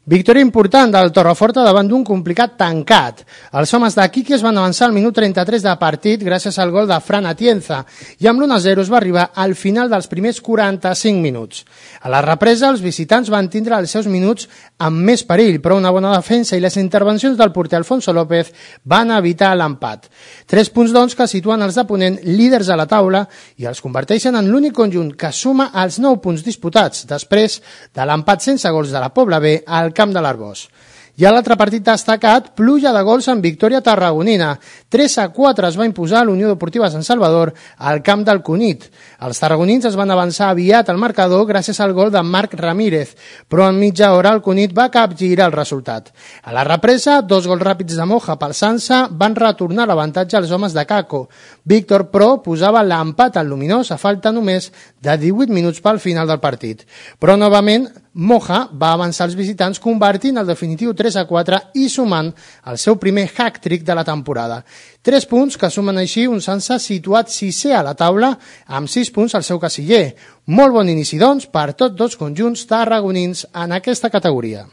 Victòria important del Torreforta davant d'un complicat tancat. Els homes de Quique es van avançar al minut 33 de partit gràcies al gol de Fran Atienza i amb l'1-0 es va arribar al final dels primers 45 minuts. A la represa, els visitants van tindre els seus minuts amb més perill, però una bona defensa i les intervencions del porter Alfonso López van evitar l'empat. 3 punts, doncs, que situen els de Ponent líders a la taula i els converteixen en l'únic conjunt que suma els 9 punts disputats després de l'empat sense gols de la Pobla B al camp de l'Arbós. I a l'altre partit destacat, pluja de gols en victòria tarragonina. 3-4 es va imposar l'Unió Deportiva Sant Salvador al camp del Cunit. Els tarragonins es van avançar aviat al marcador gràcies al gol de Marc Ramírez, però en mitja hora el Cunit va capgirar el resultat. A la represa, 2 gols ràpids de Moja pel Sansa van retornar l'avantatge als homes de Caco. Víctor Pro posava l'empat al Luminós a falta només de 18 minuts pel final del partit. Però novament Moja va avançar els visitants convertint el definitiu 3-4 i sumant el seu primer hat-trick de la temporada. 3 punts que sumen així un Sansa situat 6è a la taula amb 6 punts al seu casiller. Molt bon inici, doncs, per tots dos conjunts tarragonins en aquesta categoria.